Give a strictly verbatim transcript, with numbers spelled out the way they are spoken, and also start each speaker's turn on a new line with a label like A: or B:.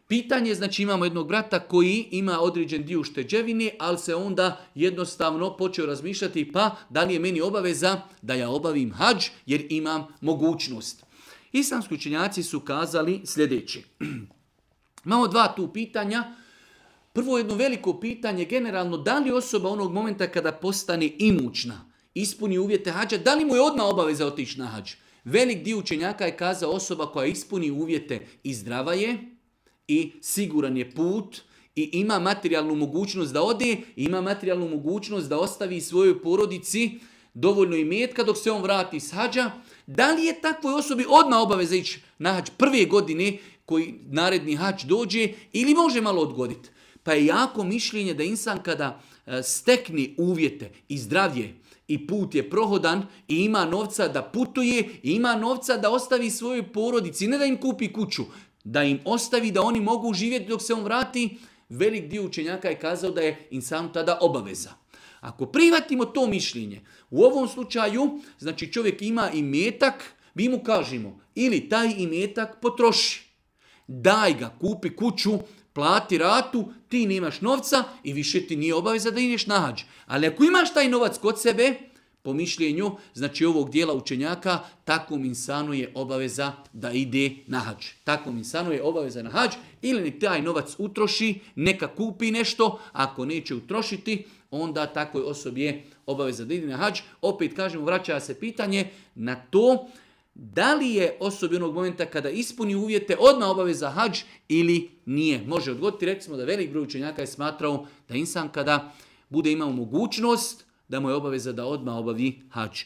A: Pitanje, znači imamo jednog brata koji ima određen dio ušteđevine, ali se onda jednostavno počeo razmišljati pa da li je meni obaveza da ja obavim hadž jer imam mogućnost. Islamski učenjaci su kazali sljedeće. Imamo dva tu pitanja. Prvo jedno veliko pitanje generalno, da li osoba onog momenta kada postane imućna, ispuni uvjete hađa, da li mu je odmah obaveza otići na hađ? Velik dio učenjaka je kazao osoba koja ispuni uvjete i zdrava je, i siguran je put, i ima materijalnu mogućnost da ode, i ima materijalnu mogućnost da ostavi svojoj porodici dovoljno imetka dok se on vrati s hađa. Da li je takvoj osobi odmah obaveza ići na hađ prve godine koji naredni hađ dođe ili može malo odgoditi? Pa je jako mišljenje da insan kada stekne uvjete i zdravlje i put je prohodan i ima novca da putuje i ima novca da ostavi svojoj porodici, ne da im kupi kuću, da im ostavi da oni mogu živjeti dok se on vrati, velik dio učenjaka je kazao da je insanu tada obaveza. Ako prihvatimo to mišljenje, u ovom slučaju, znači čovjek ima imetak, mi mu kažemo ili taj imetak potroši, daj ga, kupi kuću, plati ratu, ti nemaš novca i više ti nije obaveza da ideš na hađ. Ali ako imaš taj novac kod sebe, po mišljenju, znači ovog dijela učenjaka, takvom insanu je obaveza da ide na hađ. Takvom insanu je obaveza na hađ ili nek taj novac utroši, neka kupi nešto, ako neće utrošiti, onda takvoj osobi je obaveza da ide na hađ. Opet kažemo, vraća se pitanje na to da li je osobi onog momenta kada ispuni uvjete odmah obaveza hađ ili nije. Može odgoditi, rekli smo da velik broj učenjaka je smatrao da insan kada bude imao mogućnost, da mu je obaveza da odmah obavi hađ.